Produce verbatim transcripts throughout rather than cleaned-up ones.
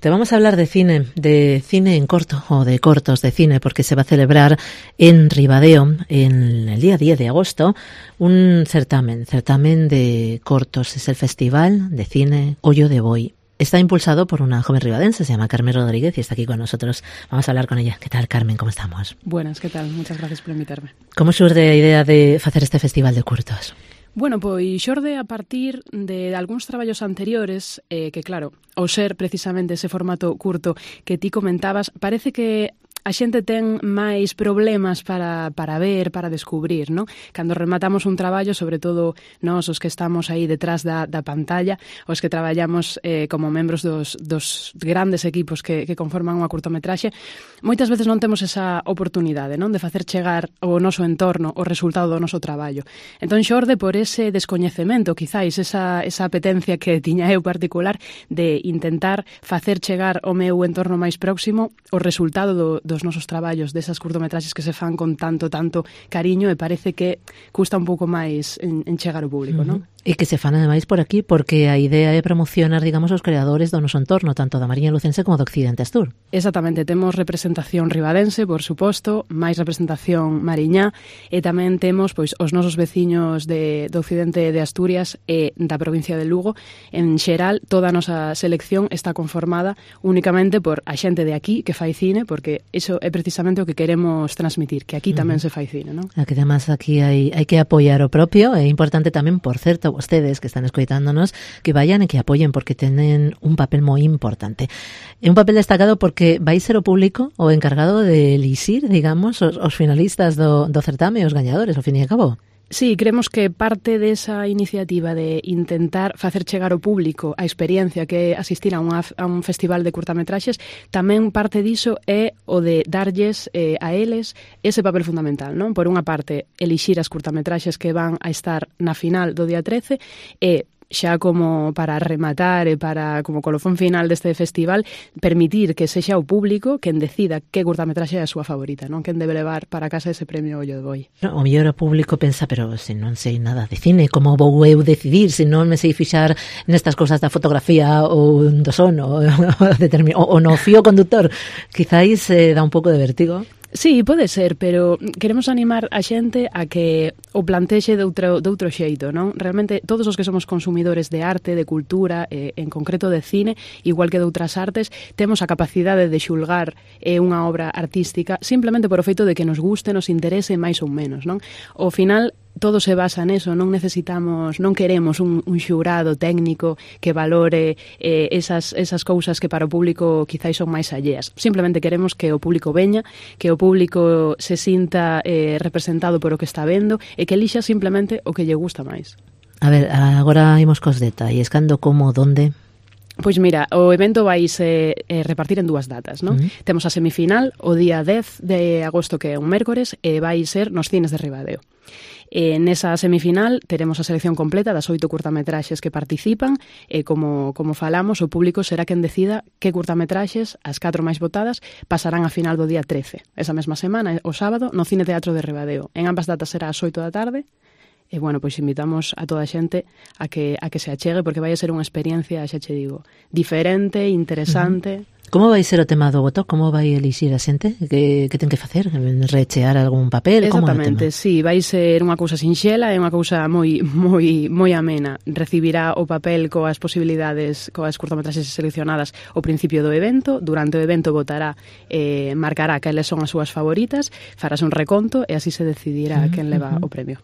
Te vamos a hablar de cine, de cine en corto o de cortos de cine, porque se va a celebrar en Ribadeo, en el día diez de agosto, un certamen, certamen de cortos. Es el Festival de Cine Ollo de Boi. Está impulsado por una joven ribadense, se llama Carmen Rodríguez y está aquí con nosotros. Vamos a hablar con ella. ¿Qué tal, Carmen? ¿Cómo estamos? Buenas, ¿qué tal? Muchas gracias por invitarme. ¿Cómo xurde a idea de facer este festival de curtos? Bueno, pois xorde a partir de algúns traballos anteriores, eh, que claro, ao ser precisamente ese formato curto que ti comentabas, parece que a xente ten máis problemas para, para ver, para descubrir, non? Cando rematamos un traballo, sobre todo nós, os que estamos aí detrás da, da pantalla, os que traballamos eh, como membros dos, dos grandes equipos que, que conforman unha curtometraxe, moitas veces non temos esa oportunidade, non? De facer chegar ao noso entorno o resultado do noso traballo. Entón, xorde por ese descoñecemento, quizáis, esa, esa apetencia que tiña eu particular de intentar facer chegar ao meu entorno máis próximo o resultado do dos nosos traballos, desas curtometraxes que se fan con tanto, tanto cariño, e parece que custa un pouco máis en, en chegar ao público, uh-huh. non? E que se fan ademais por aquí, porque a idea é promocionar, digamos, os creadores do noso entorno, tanto da Mariña Lucense como do Occidente Astur. Exactamente, temos representación ribadense, por suposto, máis representación mariñá, e tamén temos pois os nosos veciños de, do Occidente de Asturias e da provincia de Lugo. En xeral, toda a nosa selección está conformada únicamente por a xente de aquí que fai cine, porque iso é precisamente o que queremos transmitir, que aquí tamén uh-huh. se fai cine, non? Que además aquí hai, hai que apoiar o propio, é importante tamén, por certo, vostedes que están escoitándonos, que vayan e que apoyen, porque tenen un papel moi importante. É un papel destacado porque vai ser o público o encargado de elixir, digamos, os, os finalistas do, do certame, os gañadores, ao fin e ao cabo. Sí, creemos que parte desa iniciativa de intentar facer chegar ao público a experiencia que é asistir a, unha, a un festival de curtametraxes, tamén parte diso é o de darlles eh, a eles ese papel fundamental, non? Por unha parte, elixir as curtametraxes que van a estar na final do día trece e xa como para rematar e para como colofón final deste festival, permitir que sexa o público quen decida que curtametraxe é a súa favorita, non? Quen debe levar para casa ese premio Ollo de Boi. No, o mellor o público pensa, pero se non sei nada de cine, como vou eu decidir se non me sei fixar nestas cousas da fotografía ou do son ou, ou, ou no fío conductor? Quizáis eh, dá un pouco de vértigo. Sí, pode ser, pero queremos animar a xente a que o plantexe de outro, de outro xeito, non? Realmente, todos os que somos consumidores de arte, de cultura, eh, en concreto de cine, igual que de outras artes, temos a capacidade de xulgar eh, unha obra artística simplemente por o feito de que nos guste, nos interese máis ou menos, non? Ao final, todo se basa neso, non necesitamos, non queremos un, un xurado técnico que valore eh, esas, esas cousas que para o público quizáis son máis alleas. Simplemente queremos que o público veña, que o público se sinta eh, representado por o que está vendo e que elixa simplemente o que lle gusta máis. A ver, agora imos cos detalles. Cando, como, donde? Pois mira, o evento vaise eh, repartir en dúas datas, non? Uh-huh. Temos a semifinal o día dez de agosto, que é un mércores, e vai ser nos cines de Ribadeo. E nesa semifinal teremos a selección completa das oito curtametraxes que participan e, como, como falamos, o público será quen decida que curtametraxes, as catro máis votadas, pasarán a final do día trece. Esa mesma semana, o sábado, no Cine Teatro de Ribadeo. En ambas datas será ás oito da tarde. E, bueno, pois invitamos a toda a xente a que, a que se achegue, porque vai a ser unha experiencia, xa che digo, diferente, interesante. Uh-huh. Como vai ser o tema do voto? Como vai elixir a xente? Que, que ten que facer? Rechear algún papel? Exactamente, sí, vai ser unha cousa sinxela, é unha cousa moi moi moi amena. Recibirá o papel coas posibilidades, coas curtametraxes seleccionadas ao principio do evento. Durante o evento votará, eh, marcará cales son as súas favoritas, farás un reconto e así se decidirá uh-huh, quen leva uh-huh. o premio.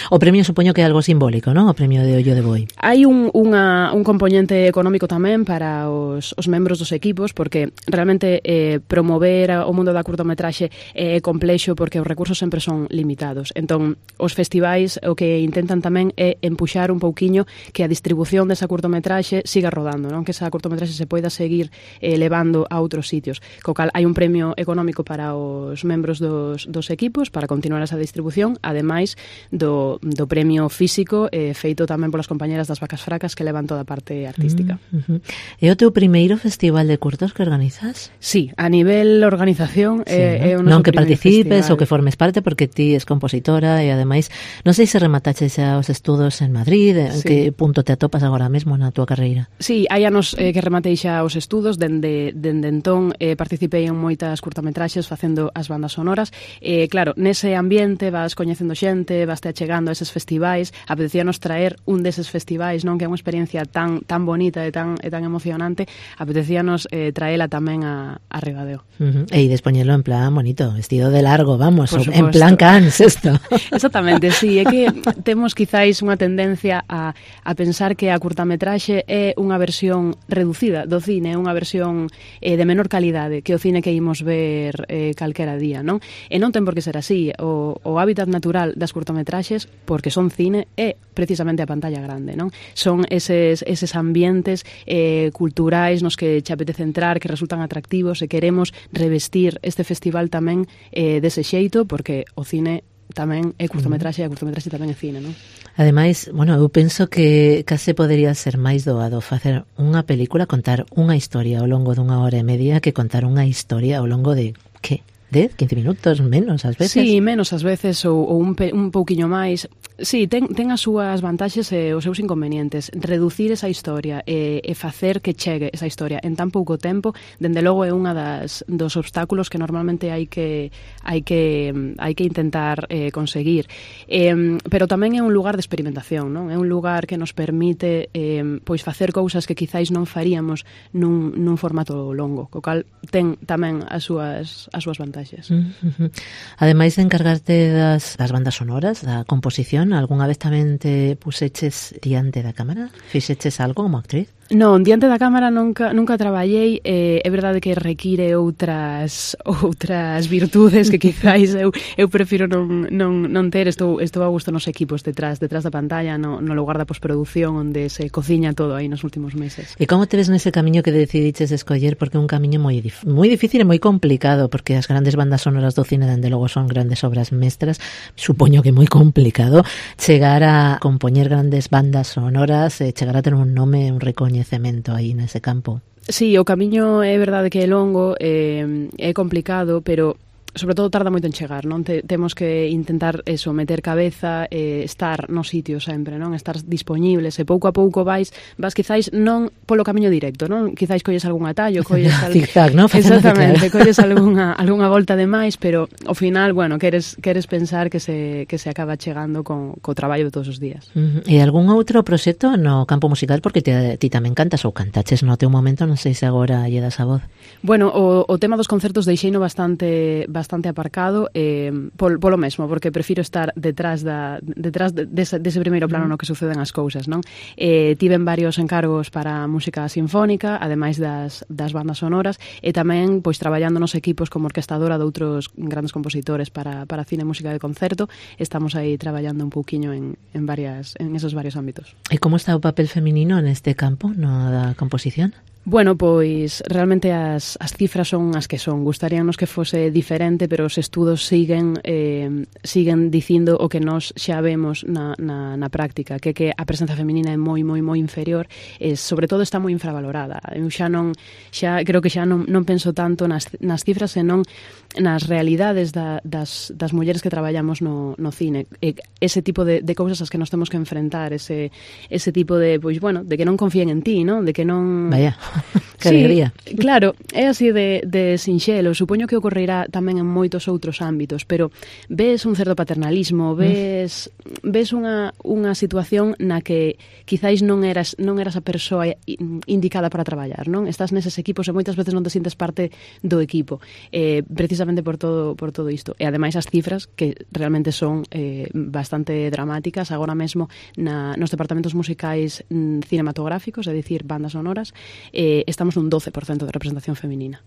O premio supoño que é algo simbólico, non? O premio de Ollo de Boi. Hai un, unha, un componente económico tamén para os, os membros dos equipos, porque realmente eh, promover o mundo da curtometraxe é complexo porque os recursos sempre son limitados. Entón, os festivais o que intentan tamén é empuxar un pouquiño que a distribución desa curtometraxe siga rodando, non? Que esa curtometraxe se poida seguir eh, levando a outros sitios. Co cal hai un premio económico para os membros dos, dos equipos para continuar esa distribución, ademais do, do premio físico eh, feito tamén polas compañeras das Vacas Fracas que levan toda a parte artística. Uh, uh, uh. É o teu primeiro festival de curtos que organizas? Sí, a nivel organización sí, é, é o non noso que participes festival. ou que formes parte, porque ti es compositora e ademais non sei se remataches xa os estudos en Madrid, en sí. que punto te atopas agora mesmo na túa carreira? Sí, hai anos eh, que rematei xa os estudos, dende, dende entón eh, participei en moitas curtametraxes facendo as bandas sonoras. Eh, claro, nese ambiente vas coñecendo xente, vas te achegando a eses festivais, apetecíanos traer un deses festivais, non, que é unha experiencia tan tan bonita e tan e tan emocionante, apetecíanos eh, traela tamén a, a Ribadeo. Uh -huh. E despoñelo en plan bonito, vestido de largo, vamos, en Por plan Cans, esto. Exactamente, sí, é que temos quizáis unha tendencia a, a pensar que a curtametraxe é unha versión reducida do cine, unha versión eh, de menor calidade que o cine que imos ver eh, calquera día, non? E non ten por que ser así. O, o hábitat natural das curtametraxes, porque son cine, é precisamente a pantalla grande, non? Son eses, eses ambientes eh, culturais nos que che apetece entrar, que resultan atractivos e queremos revestir este festival tamén eh, dese xeito, porque o cine tamén é curtametraxe e a curtametraxe tamén é cine, non? Ademais, bueno, eu penso que case podería ser máis doado facer unha película, contar unha historia ao longo dunha hora e media que contar unha historia ao longo de, que? dez, quince minutos, menos ás veces. Sí, menos ás veces ou, ou un, pe, un pouquiño máis. Sí, ten, ten as súas vantaxes e os seus inconvenientes. Reducir esa historia e, e facer que chegue esa historia en tan pouco tempo, dende logo é unha das dos obstáculos que normalmente hai que hai que hai que intentar eh, conseguir. Eh, pero tamén é un lugar de experimentación, non? É un lugar que nos permite eh, pois facer cousas que quizáis non faríamos nun, nun formato longo, co cal ten tamén as súas as súas vantaxes. Uh -huh. Ademais de encargarte das, das bandas sonoras, da composición, algunha vez tamén te puseches diante da cámara? Fixeches algo como actriz? Non, diante da cámara nunca nunca traballei, eh, é verdade que require outras outras virtudes que quizáis eu eu prefiro non non non ter, estou estou a gusto nos equipos detrás detrás da pantalla, no no lugar da posproducción onde se cociña todo aí nos últimos meses. E como te ves nese camiño que decidiches escoller, porque é un camiño moi moi difícil e moi complicado, porque as grandes bandas sonoras do cine dende logo son grandes obras mestras, supoño que moi complicado chegar a compoñer grandes bandas sonoras, e chegar a ter un nome, un recoñecemento cemento aí nese campo. Sí, o camiño é verdade que é longo, eh, é complicado, pero sobre todo tarda moito en chegar, non? Te, temos que intentar eso, meter cabeza, eh, estar no sitio sempre, non? Estar dispoñibles e pouco a pouco vais, vas quizáis non polo camiño directo, non? Quizáis colles algún atallo, colles al... zigzag, non? Exactamente, colles algunha algunha volta de máis, pero ao final, bueno, queres queres pensar que se que se acaba chegando con co traballo de todos os días. Uh -huh. E algún outro proxecto no campo musical, porque te, ti tamén cantas ou cantaches no teu momento, non sei se agora lle das a voz. Bueno, o, o tema dos concertos deixeino bastante bastante aparcado eh, pol, polo mesmo, porque prefiro estar detrás da detrás de, dese, dese primeiro plano no que suceden as cousas, non? Eh, tiven varios encargos para música sinfónica, ademais das, das bandas sonoras, e tamén pois traballando nos equipos como orquestadora de outros grandes compositores para, para cine e música de concerto. Estamos aí traballando un pouquiño en, en varias en esos varios ámbitos. E como está o papel feminino neste campo, no da composición? Bueno, pois realmente as, as cifras son as que son. Gustaríanos que fose diferente, pero os estudos siguen eh, siguen dicindo o que nós xa vemos na, na, na práctica, que que a presenza feminina é moi, moi, moi inferior e, sobre todo, está moi infravalorada. Eu xa non, xa creo que xa non, non penso tanto nas, nas cifras, senón nas realidades da, das, das mulleres que traballamos no, no cine. E ese tipo de, de cousas as que nos temos que enfrentar, ese, ese tipo de, pois, bueno, de que non confíen en ti, ¿no? De que non... Vaya... Que sí, alegría. Claro, é así de, de sinxelo. Supoño que ocorrerá tamén en moitos outros ámbitos, pero ves un certo paternalismo, ves mm. ves unha, unha situación na que quizáis non eras non eras a persoa indicada para traballar, non? Estás neses equipos e moitas veces non te sientes parte do equipo, eh, precisamente por todo por todo isto. E ademais as cifras que realmente son eh, bastante dramáticas agora mesmo na, nos departamentos musicais mm, cinematográficos, é dicir, bandas sonoras, eh, estamos nun doce por cento de representación feminina.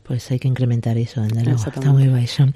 pois hai que incrementar iso, ende logo, está moi baixo.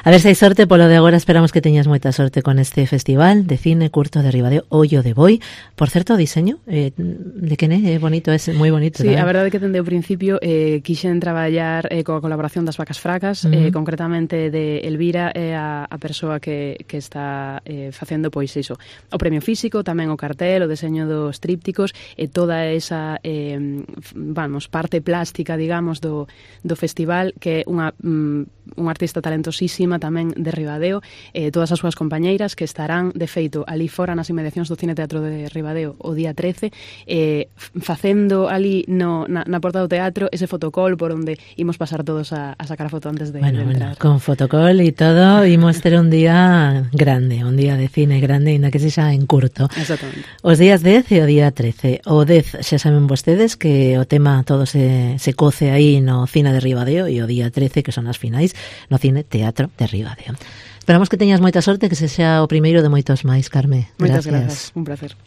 A ver se hai sorte, polo de agora esperamos que teñas moita sorte con este festival de cine curto de Ribadeo, Ollo de Boi. Por certo, o diseño eh, de que é bonito, é moi bonito. Sí, tamén. A verdade é que dende o principio eh, quixen traballar eh, coa colaboración das Vacas Fracas, uh -huh. eh, concretamente de Elvira, é eh, a, a persoa que, que está eh, facendo pois iso, o premio físico, tamén o cartel, o diseño dos trípticos e toda esa eh, vamos, parte plástica, digamos, do, do festival, que é unha mm, unha artista talentosísima tamén de Ribadeo, eh, todas as súas compañeiras que estarán, de feito, ali fora nas inmediacións do Cine Teatro de Ribadeo o día trece, eh, facendo ali no, na, na porta do teatro ese fotocall por onde imos pasar todos a, a sacar a foto antes de, bueno, de entrar. Bueno, con fotocall e todo, imos ter un día grande, un día de cine grande, ainda que sexa en curto. Exactamente. Os días dez e o día trece. O dez xa saben vostedes que o tema todo se, se coce aí no Cine de Ribadeo e o día trece, que son as finais, no Cine Teatro de Ribadeo. Esperamos que teñas moita sorte, que se xa o primeiro de moitos máis, Carme. Moitas grazas, un placer.